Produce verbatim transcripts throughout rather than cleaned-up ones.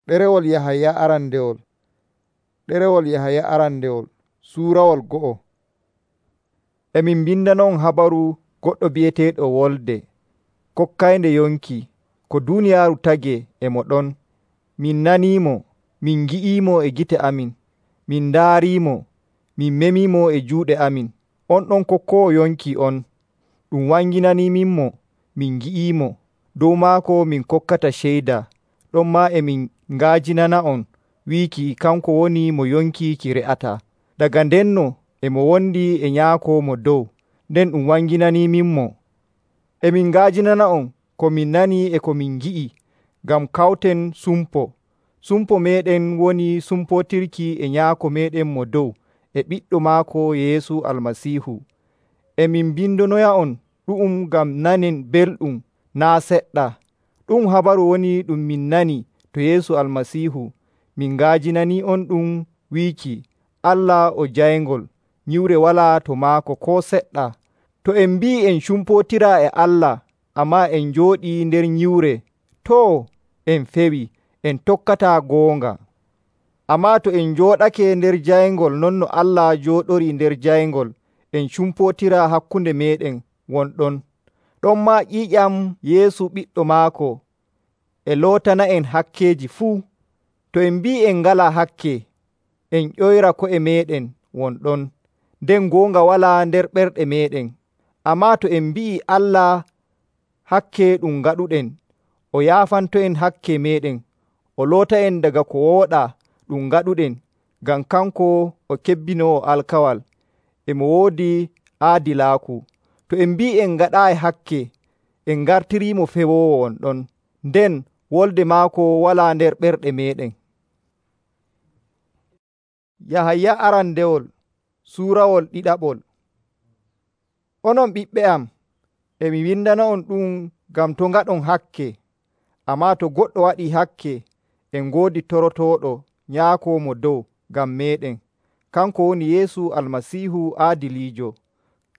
Ɗerewol Yahaya arandewol Ɗerewol Yahaya arandewol Suurawol go'o. E min bindanon habaru goɗɗo bi'eteeɗo Wolde, kokkaynde yonki, ko duuniyaaru tagee e mo ɗon. Min naniimo, min ngi'iimo e gite amin, min ndaariimo, min memiimo e juuɗe amin. On ɗon kokkoowo yonki on, ɗum wanginaniminmo, min ngi'iimo. Dow maako min kokkata ceyda. Ɗon maa e min ngaajinana'on wiiki kanko woni mo yonki ki re'ata. Daga ndenno e mo wondi e nyaako mo dow, nden ɗum wanginaniminmo. E min ngaajinana'on ko min nani e ko min ngi'i, ngam kawten sumpo. Sumpo meeɗen woni sumpotirki e nyaako meeɗen mo dow e ɓiɗɗo maako Yeesu Almasiihu. E min bindonoya'on ɗu'um ngam nanen belɗum naa seɗɗa. Ɗum habaru woni ɗum min nani to Yeesu Almasiihu. Min ngaajinani'on ɗum wiiki Allah o jayngol, nyiwre walaa to maako koo seɗɗa. To en mbi'i en cumpotiraa e Allah, ammaa en njooɗii nder nyiwre, too, en fewi, en tokkataa goonga. Ammaa to en njooɗake nder jayngol non no Allah jooɗorii nder jayngol, en cumpotiraa hakkunde meeɗen wonɗon. Ɗonmaa ƴiiƴam Yeesu ɓiɗɗo maako e lootana'en hakkeeji fuu. To en mbi'i en ngalaa hakke, en ƴoyra ko'e meeɗen wonɗon, nden goonga walaa nder ɓerɗe meeɗen. Ammaa to en mbi'i Allah hakke ɗum ngaɗuɗen, o yaafanto'en hakke meeɗen, o loota'en daga ko wooɗaa ɗum ngaɗuɗen, ngam kanko o kebbinoowo alkawal, e mo woodi aadilaaku. To en mbi'i en ngaɗaayi hakke, en ngartiriimo fewoowo wonɗon, nden wolde maako walaa nder ɓerɗe meeɗen. Yahaya arandewol Suurawol ɗiɗaɓol. Onon ɓiɓɓe am, e mi windana'on ɗum ngam to ngaɗon hakke. Ammaa to goɗɗo waɗii hakke, en ngoodi torotooɗo nyaako mo dow ngam meeɗen. Kanko woni Yeesu Almasiihu aadiliijo.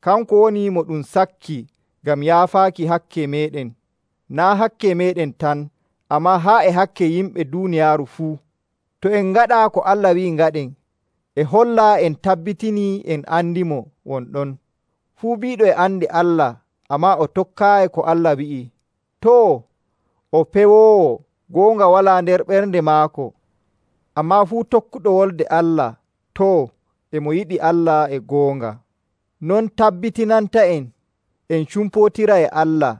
Kanko woni mo ɗum sakki ngam yaafaaki hakke meeɗen. Naa hakke meeɗen tan, ammaa haa e hakke yimɓe duuniyaaru fuu. To en ngaɗaa ko Allah wi'i ngaɗen, e hollaa en tabbitinii en andimo wonɗon. Fuu biiɗo e andi Allah, ammaa o tokkaayi ko Allah wi'i, too, o pewoowo, goonga walaa nder ɓernde maako. Ammaa fuu tokkuɗo wolde Allah, too, e mo yiɗi Allah e goonga. Non tabbitinanta'en en cumpotira e Allah.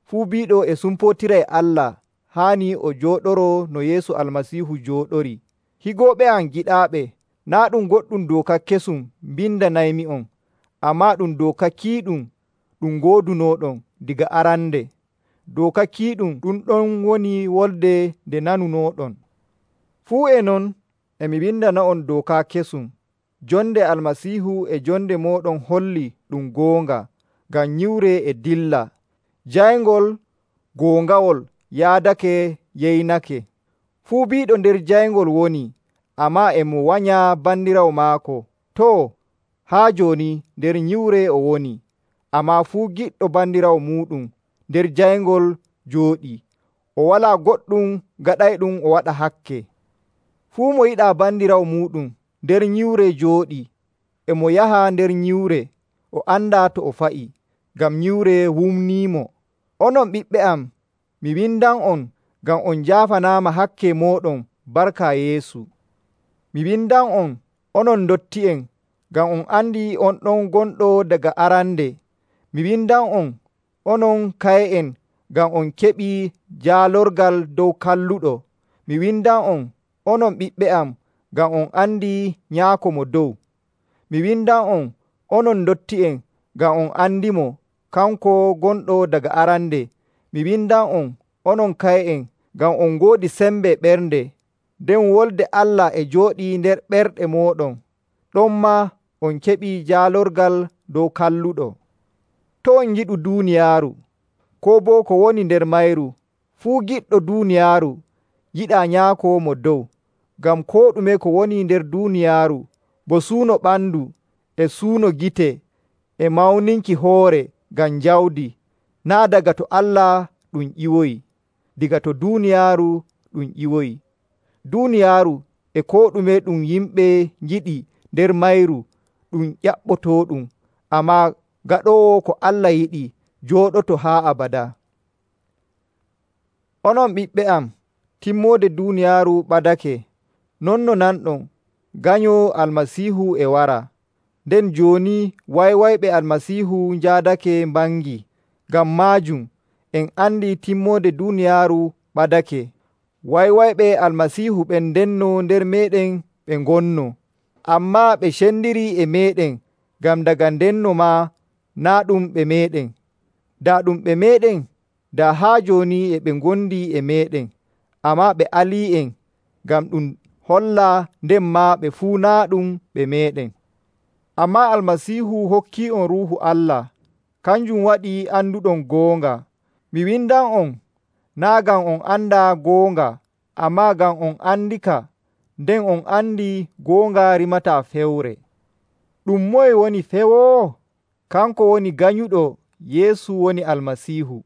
Fuu biiɗo e sumpotira e Allah haani o jooɗoroo no Yeesu Almasiihu jooɗori. Higooɓe am giɗaaɓe, naa ɗum goɗɗum dooka kesum mbindanaymi'on, ammaa ɗum dooka kiiɗum ɗum ngoodunooɗon diga arande. Dooka kiiɗum ɗum ɗon woni wolde nde nanunooɗon. Fuu e non e mi windana'on dooka kesum. Jonde Almasiihu e jonde mooɗon holli ɗum goonga, ngam nyiwre e dilla. Jayngol goongawol yaadake yeynake. Fuu biiɗo nder jayngol woni, ammaa e mo wanya bandiraawo maako. Too, haa jooni nder nyiwre o woni, ammaa fuu giɗɗo bandiraawo muuɗum nder jayngol jooɗii. O walaa goɗɗum gaɗayɗum o waɗa hakke. Fuu mo yiɗaa bandiraawo muuɗum nder nyiwre jooɗii, e mo yaha nder nyiwre, o andaa to o fa'i, ngam nyiwre wumniimo. Onon ɓiɓɓe am, mi windan'on ngam on njaafanaama hakke mooɗon barka Yeesu. Mi windan'on onon ndotti'en, ngam on andi on ɗon gonɗo daga arande. Mi windan'on onon kaye'en, ngam on keɓii jaalorgal dow kalluɗo. Mi windan'on onon ɓiɓɓe am, ngam on andi nyaako mo dow. Mi windan'on onon ndotti'en, ngam on andimo, kanko gonɗo daga arande. Mi windan'on onon kaye'en, ngam on ngoodi sembe ɓernde, nden wolde Allah e jooɗii nder ɓerɗe mooɗon. Ɗonmaa on keɓii jaalorgal dow kalluɗo. To on ngiɗu duuniyaaru, koo boo ko woni nder mayru. Fuu giɗɗo duuniyaaru yiɗaa nyaako mo dow, ngam koo ɗume ko woni nder duuniyaaru, bo suuno ɓandu e suuno gite e mawninki hoore ngam jawdi, naa daga to Allah ɗum ƴiwoyi, diga to duuniyaaru ɗum ƴiwoyi. Duuniyaaru e koo ɗume ɗum yimɓe ngiɗi nder mayru ɗum ƴaɓɓotooɗum, ammaa gaɗoowo ko Allah yiɗi jooɗoto haa abada. Onon ɓiɓɓe am, timmoode duuniyaaru ɓadake, non no nanɗon ganyoo Almasiihu e wara. Nden jooni waywayɓe Almasiihu njaadake mbangi. Ngam maajum en andi timmoode duuniyaaru ɓadake. Waywayɓe Almasiihu ɓen ndenno nder meeɗen ɓe ngonno, ammaa ɓe cendiri e meeɗen, ngam daga ndenno maa naa ɗum ɓe meeɗen. Daa ɗum ɓe meeɗen, daa haa jooni e ɓe ngondi e meeɗen, ammaa ɓe alii'en, ngam ɗum holla nden maa ɓe fuu naa ɗum ɓe meeɗen. Ammaa Almasiihu hokkii'on Ruuhu Allah, kanjum waɗi anduɗon goonga. Mi windan'on naa ngam on andaa goonga, ammaa ngam on andika, nden on andi goonga rimataa fewre. Ɗum moye woni fewoowo? Kanko woni ganyuɗo Yeesu woni Almasiihu.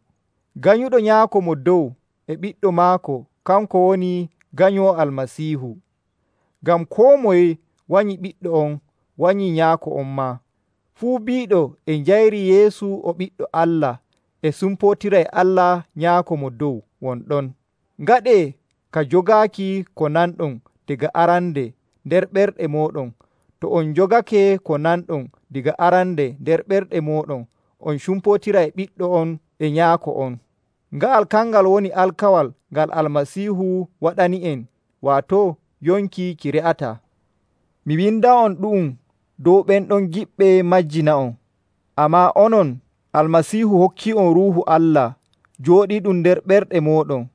Ganyuɗo Nyaako Mo Dow e Ɓiɗɗo maako, kanko woni ganyoo Almasiihu. Ngam koo moye wanyi ɓiɗɗo on, wanyi Nyaako on maa. Fuu biiɗo e njayri Yeesu o Ɓiɗɗo Allah e sumpootiray Allah Nyaako Mo Dow won ɗon. Ngaɗee ka jogaaki ko nanɗon daga arande nder ɓerɗe mooɗon. To on jogake ko nanɗon daga arande nder ɓerɗe mooɗon, on cumpootiray ɓiɗɗo on e nyaako on. Nga'al kangal woni alkawal ngal Almasiihu waɗani'en, waato yonki ki re'ataa. Mi winda'on ɗu'um dow ɓen ɗon giɓɓe majjina'on. Ammaa onon Almasiihu hokki'on Ruuhu Allah jooɗiiɗum nder ɓerɗe mooɗon.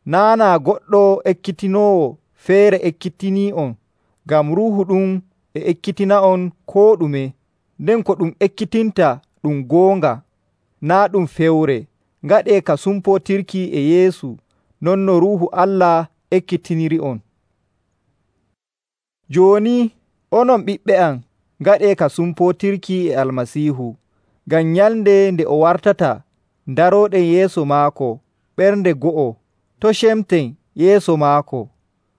Naana goɗɗo ekkitinoowo feere ekkitinii'on, ngam Ruuhu ɗum e ekkitina'on koo ɗume. Nden ko ɗum ekkitinta ɗum goonga, naa ɗum fewre. Ngaɗee ka sumpootirki e Yeesu, non no Ruuhu Allah ekkitiniri'on. Jooni onon ɓiɓɓe am, ngaɗee ka sumpootirki e Almasiihu, ngam nyalnde nde o wartata darooɗen yeeso maako ɓernde go'o, to cemten yeeso maako.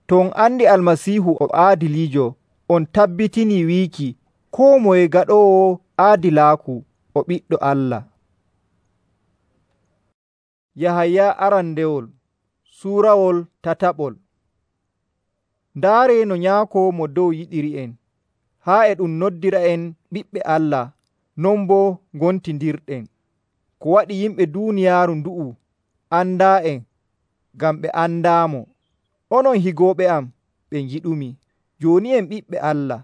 To on andi Almasiihu o aadiliijo, on tabbitinii wiiki koo moye gaɗoowo aadilaaku o ɓiɗɗo Allah. Yahaya arandewol suurawol tataɓol. Ndaaree no Nyaako Mo Dow yiɗiri'en, haa e ɗum noddira'en ɓiɓɓe Allah, non boo ngontindirɗen. Ko waɗi yimɓe duuniyaaru ndu'u andaa'en, ngam ɓe andaamo. Onon higooɓe am ɓe ngiɗumi, jooni en ɓiɓɓe Allah.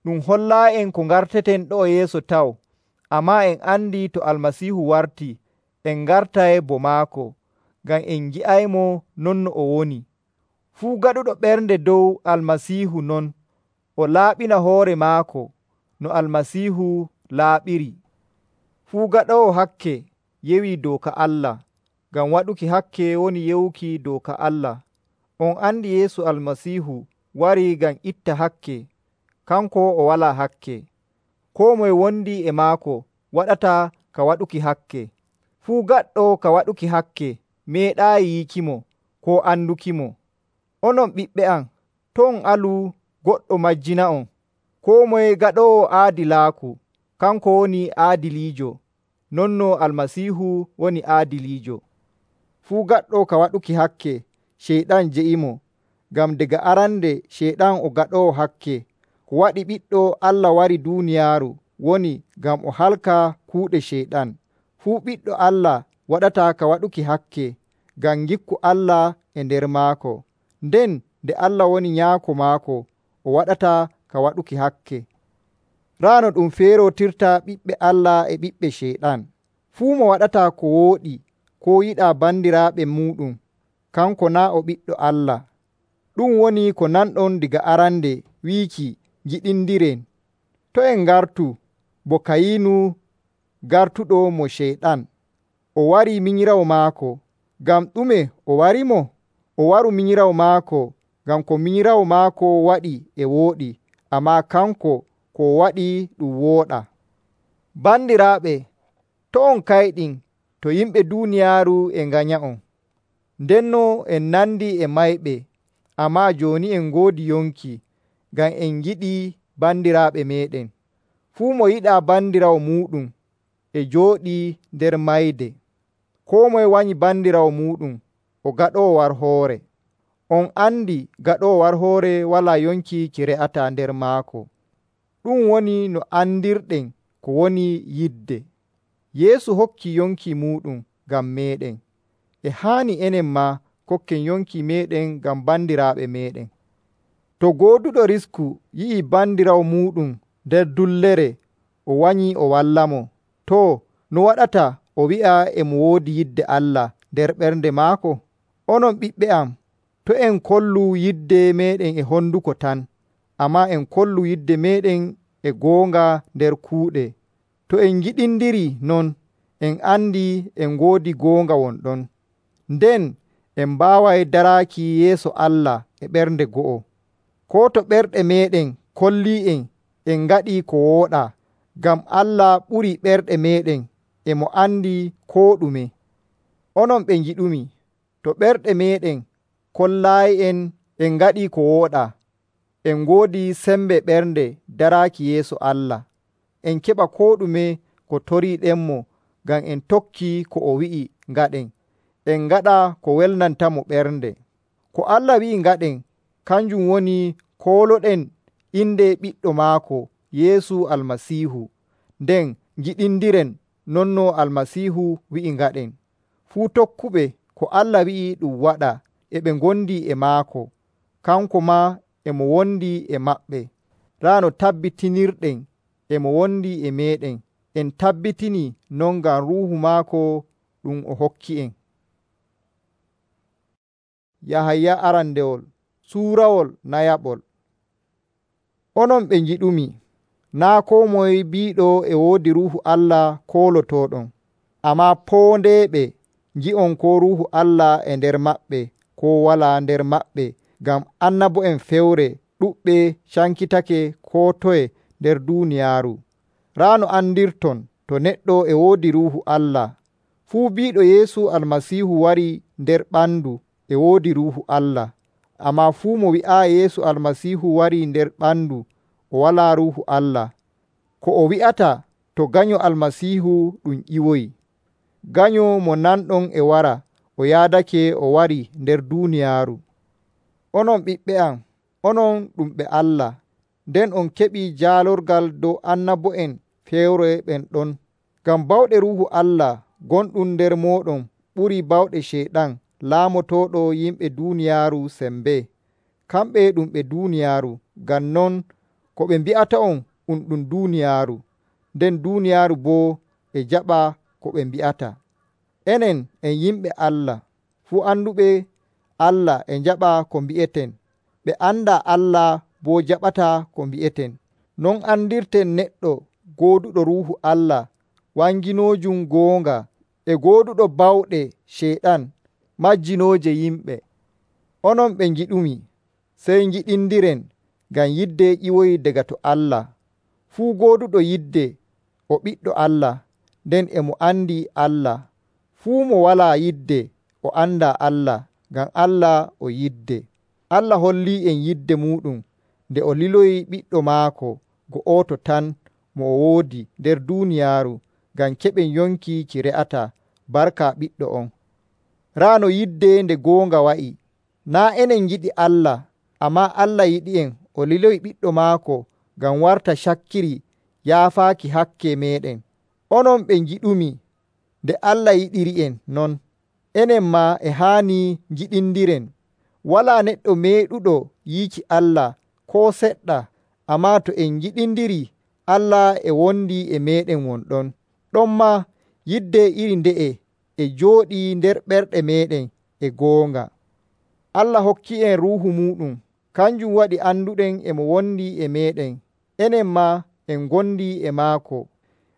Ɗum hollaa'en ko ngarteten ɗo'o yeeso taw, ammaa en andi to Almasiihu wartii, en ngartay bo maako, ngam en ngi'aymo non no o woni. Fuu gaɗuɗo ɓernde dow Almasiihu non, o laaɓina hoore maako no Almasiihu laaɓiri. Fuu gaɗoowo hakke yewi dooka Allah, ngam waɗuki hakke woni yewuki dooka Allah. On andi Yeesu Almasiihu warii ngam itta hakke, kanko o walaa hakke. Koo moye wondi e maako waɗataa ka waɗuki hakke. Fuu gaɗɗo ka waɗuki hakke meeɗaayi yiikimo koo andukimo. Onon ɓiɓɓe am, to on alu goɗɗo majjina'on. Koo moye gaɗoowo aadilaaku, kanko woni aadiliijo, non no Almasiihu woni aadiliijo. Fuu gaɗɗo ka waɗuki hakke, Ceyɗan je'imo, ngam daga arande Ceyɗan o gaɗoowo hakke. Ko waɗi Ɓiɗɗo Allah wari duuniyaaru woni ngam o halka kuuɗe Ceyɗan. Fuu ɓiɗɗo Allah waɗataa ka waɗuki hakke, ngam ngikku Allah e nder maako. Nden nde Allah woni Nyaako maako, o waɗataa ka waɗuki hakke. Raa no ɗum feerotirta ɓiɓɓe Allah e ɓiɓɓe Ceyɗan. Fuu mo waɗataa ko wooɗi koo yiɗaa bandiraaɓe muuɗum, kanko naa o ɓiɗɗo Allah. Ɗum woni ko nanɗon diga arande wiiki ngiɗindiren. To en ngartu bo Kayinu gartuɗo mo Ceyɗan, o wari minyirawo maako. Ngam ɗume o warimo? O waru minyirawo maako ngam ko minyirawo maako waɗi e wooɗi, ammaa kanko ko waɗi ɗum wooɗa. Bandiraaɓe, to on kayɗin to yimɓe duuniyaaru e nganya'on, ndenno en nandi e mayɓe, ammaa jooni en ngoodi yonki ngam en yiɗi bandiraaɓe meeɗen. Fuu mo yiɗaa bandiraawo muuɗum e jooɗii nder mayde. Koo moye wanyi bandiraawo muuɗum o gaɗoowo war hoore. On andi gaɗoowo war hoore walaa yonki ki re'ataa nder maako. Ɗum woni no andirɗen ko woni yidde. Yeesu hokki yonki muuɗum ngam meeɗen. E haani enen maa kokken yonki meeɗen ngam bandiraaɓe meeɗen. To gooduɗo risku yi'ii bandiraawo muuɗum nder dullere o wanyi o wallamo, too no waɗata o wi'a e mo woodi yidde Allah nder ɓernde maako? Onon ɓiɓɓe am, to en kollu yidde meeɗen e honduko tan, ammaa en kollu yidde meeɗen e goonga nder kuuɗe. To en ngiɗindiri non, en andi en ngoodi goonga won ɗon. Nden en mbaaway daraaki yeeso Allah e ɓernde go'o. Koo to ɓerɗe meeɗen kollii'en en ngaɗi ko wooɗaa, ngam Allah ɓurii ɓerɗe meeɗen e mo andi koo ɗume. Onon ɓe ngiɗumi, to ɓerɗe meeɗen kollaayi'en en ngaɗi ko wooɗaa, en ngoodi sembe ɓernde daraaki yeeso Allah. En keɓa koo ɗume ko toriiɗenmo ngam en tokki ko o wi'i ngaɗen. En ngaɗa ko welnantamo ɓernde. Ko Allah wi'i ngaɗen kanjum woni kooloɗen inde ɓiɗɗo maako Yeesu Almasiihu, nden ngiɗindiren non no Almasiihu wi'i ngaɗen. Fuu tokkuɓe ko Allah wi'i ɗum waɗa e ɓe ngondi e maako, kanko maa e mo wondi e maɓɓe. Raa no tabbitinirɗen e mo wondi e meeɗen, en tabbitini non ngam ruuhu maako ɗum o hokki en. Yahaya arandewol suurawol nayaɓol. Onon ɓe ngiɗumi, naa koo moye biiɗo e woodi ruuhu Allah koolotooɗon, ammaa poondeeɓe ngi'on ko ruuhu Allah e nder maɓɓe koo walaa nder maɓɓe, ngam annabo'en fewre ɗuɓɓe cankitake koo toye nder duuniyaaru. Raa no andirton to neɗɗo e woodi ruuhu Allah. Fuu biiɗo Yeesu Almasiihu wari nder ɓandu e woodi ruuhu Allah, ammaa fuu mo wi'aa Yeesu Almasiihu wari nder ɓandu o walaa ruuhu Allah. Ko o wi'ata to ganyo Almasiihu ɗum ƴiwoyi. Ganyo mo nanɗon e wara o yaadake o wari nder duuniyaaru. Onon ɓiɓɓe am, onon ɗum ɓe Allah, nden on keɓi jaalorgal dow annabo'en fewre ɓen ɗon. Ngam bawɗe ruuhu Allah gonɗum nder mooɗon ɓuri bawɗe Ceyɗan laamotooɗo yimɓe duuniyaaru sembe. Kamɓe ɗum ɓe duuniyaaru, ngam non ko ɓe mbi'ata'on um ɗum duuniyaaru, nden duuniyaaru boo e jaɓa ko ɓe mbi'ata. Enen en yimɓe Allah, fuu anduɓe Allah e jaɓa ko mbi'eten, ɓe anda Allah boo jaɓata ko mbi'eten. Non andirten neɗɗo gooduɗo ruuhu Allah wanginoojum goonga e gooduɗo bawɗe Ceyɗan majjinooje yimɓe. Onon ɓe ngiɗumi, sey ngiɗindiren ngam yidde ƴiwoyi daga to Allah. Fuu gooduɗo yidde o ɓiɗɗo Allah, nden e mo andi Allah. Fuu mo walaa yidde o anda Allah, ngam Allah o yidde. Allah hollii en yidde muɗum nde o liloyi ɓiɗɗo maako go'oto tan mo o woodi nder duuniyaaru, ngam keɓen yonki ki re'ata barka ɓiɗɗo on. Raa no yidde nde goonga wa'i. Naa enen ngiɗi Allah, ammaa Allah yiɗi en o liloyi ɓiɗɗo maako ngam warta cakkiri yaafaaki hakke meeɗen. Onon ɓe ngiɗumi, nde Allah yiɗiri en non, enen maa e haani ngiɗindiren. Walaa neɗɗo meeɗuɗo yiiki Allah koo seɗɗa, ammaa to en ngiɗindiri Allah e wondi e meeɗen wonɗon. Ɗonmaa yidde iri nde'e e jooɗii nder ɓerɗe meeɗen e goonga. Allah hokki en ruuhu muɗum, kanjum waɗi anduɗen e mo wondi e meeɗen, enen maa en gondi e maako.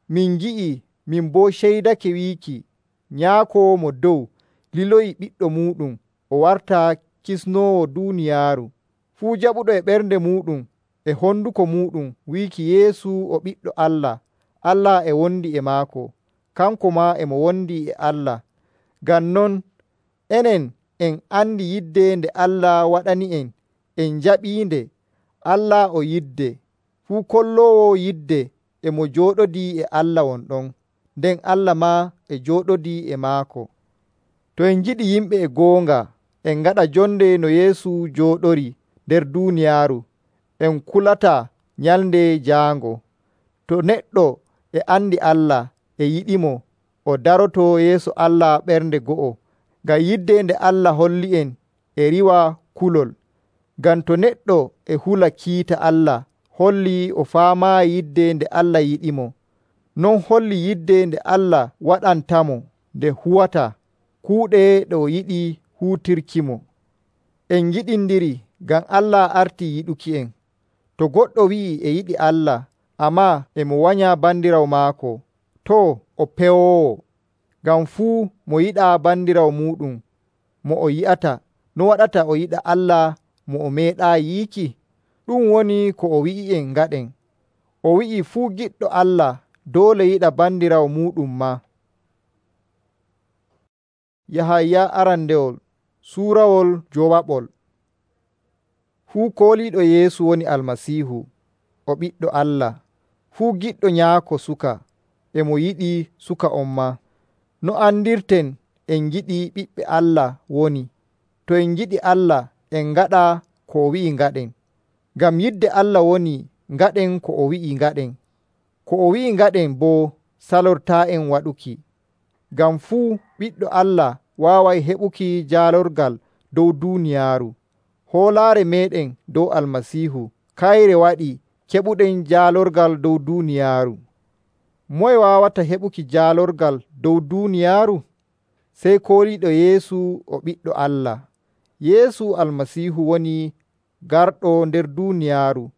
Min ngi'i, min boo ceydake wiiki Nyaako mo dow liloyi ɓiɗɗo muɗum o warta kisnoowo duuniyaaru. Fuu jaɓuɗo e ɓernde muɗum e honduko muɗum wiiki Yeesu o ɓiɗɗo Allah, Allah e wondi e maako, kanko maa e mo wondi e Allah. Ngam non enen en andi yidde nde Allah waɗani en en jaɓiinde. Allah o yidde, fuu kolloowo yidde e mo jooɗodii e Allah won ɗon, nden Allah maa e jooɗodii e maako. To en ngiɗi yimɓe e goonga, en ngaɗa jonde no Yeesu jooɗori nder duuniyaaru, en kulata nyalnde jaango. To neɗɗo e andi Allah e yiɗimo, o daroto yeeso Allah ɓernde go'o, ngam yidde nde Allah holli en e riwa kulol. Ngam to neɗɗo e hula kiita Allah, holli o faamaayi yidde nde Allah yiɗimo. Non holli yidde nde Allah waɗantamo nde huwata kuuɗe ɗe o yiɗi huutirkimo. En ngiɗindiri ngam Allah arti yiɗuki en. To goɗɗo wi'i e yiɗi Allah, ammaa e mo wanya bandirawo maako, too o pewoowo. Ngam fuu mo yiɗaa bandirawo muɗum mo o yi'ata, no waɗata o yiɗa Allah mo o meeɗaa yiiki? Ɗum woni ko o wi'i'en ngaɗen. O wi'i fuu giɗɗo Allah doole yiɗa bandirawo muɗum maa. Yahaya arandewol suurawol jowaɓol. Fuu kooliiɗo Yeesu woni Almasiihu, o ɓiɗɗo Allah. Fuu giɗɗo nyaako suka e mo yiɗi suka on maa. No andirten en giɗi ɓiɓɓe Allah woni, to en giɗi Allah en ngaɗa ko o wi'i ngaɗen. Ngam yidde Allah woni ngaɗen ko o wi'i ngaɗen. Ko o wi'i ngaɗen boo salortaa'en waɗuki. Ngam fuu ɓiɗɗo Allah waaway heɓuki jaalorgal dow duuniyaaru. Hoolaare meeɗen dow Almasiihu kayre waɗi keɓuɗen jaalorgal dow duuniyaaru. Moye waawata heɓuki jaalorgal dow duuniyaaru? Sey kooliiɗo Yeesu o ɓiɗɗo Allah. Yeesu Almasiihu woni garɗo nder duuniyaaru.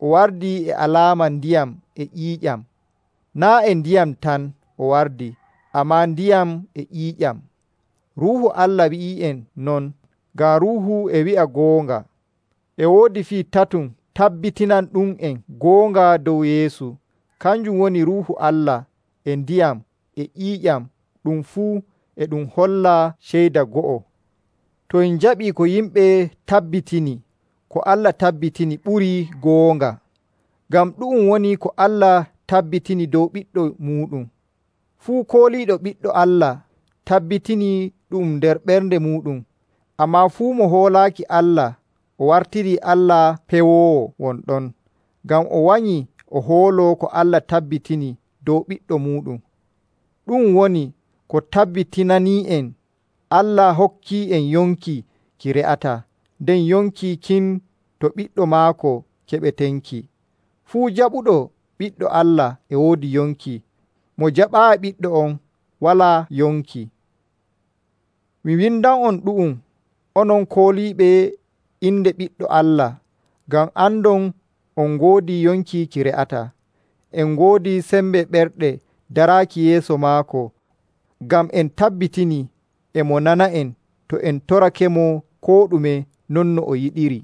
O wardi e alaama ndiyam e ƴiiƴam. Naa e ndiyam tan o wardi, ammaa ndiyam e ƴiiƴam. Ruuhu Allah wi'i'en non, ngam Ruuhu e wi'a goonga. E woodi fii tatum tabbitinan ɗum en goonga dow Yeesu. Kanjum woni Ruuhu Allah e ndiyam e ƴiiƴam, ɗum fuu e ɗum holla ceyda go'o. To en jaɓii ko yimɓe tabbitini, ko Allah tabbitini ɓurii goonga. Ngam ɗum woni ko Allah tabbitini dow ɓiɗɗo muɗum. Fuu kooliiɗo ɓiɗɗo Allah tabbitini ɗum nder ɓernde muɗum. Ammaa fuu mo hoolaaki Allah, o wartiri Allah pewoowo won ɗon, ngam o wanyi o hoolo ko Allah tabbitini dow ɓiɗɗo muɗum. Ɗum woni ko tabbitinani'en Allah hokkii en yonki ki re'ata, nden yonki kin to ɓiɗɗo maako keɓetenki. Fuu jaɓuɗo ɓiɗɗo Allah e woodi yonki. Mo jaɓaayi ɓiɗɗo on walaa yonki. Mi windan on ɗu'um, onon kooliiɓe inde ɓiɗɗo Allah, ngam andon on ngoodi yonki ki re'ata. En ngoodi sembe ɓerɗe daraaki yeeso maako, ngam en tabbitini e mo nana en to en torake mo koo ɗume non no o yiɗiri.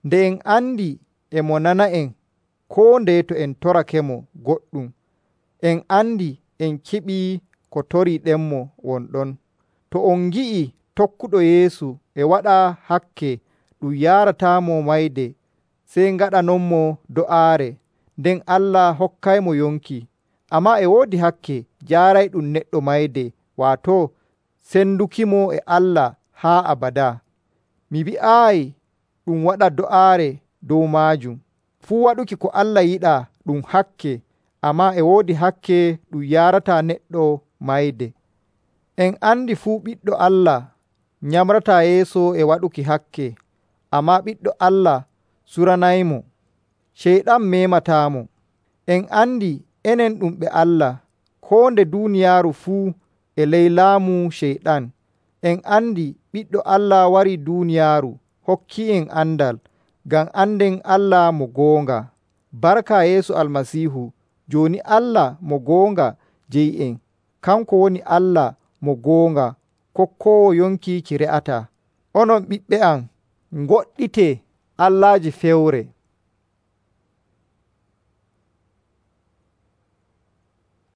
Nde en andi e mo nana en koo nde to en torake mo goɗɗum, en andi en keɓii ko toriiɗenmo won ɗon. To on ngi'i tokkuɗo Yeesu e waɗa hakke ɗum yaarataamo mayde, sey ngaɗanonmo do'aare, nden Allah hokkaymo yonki. Ammaa e woodi hakke jaarayɗum neɗɗo mayde, waato sendukimo e Allah haa abada. Mi wi'aayi ɗum waɗa do'aare dow maajum. Fuu waɗuki ko Allah yiɗaa ɗum hakke, ammaa e woodi hakke ɗum yaarata neɗɗo mayde. En andi fuu ɓiɗɗo Allah nyamrata yeeso e waɗuki hakke, ammaa ɓiɗɗo Allah suranaymo. Ceyɗan mematamo. En andi enen ɗum ɓe Allah, koo nde duuniyaaru fuu e ley laamu ceyɗan. En andi ɓiɗɗo Allah wari duuniyaaru hokki en andal, ngam anden Allah mo goonga. Barka Yeesu Almasiihu, jooni Allah mo goonga jeyi en, kanko woni Allah mo goonga, kokkoowo yonki ki re'ata. Onon ɓiɓɓe am, ngoɗɗite allaaji fewre.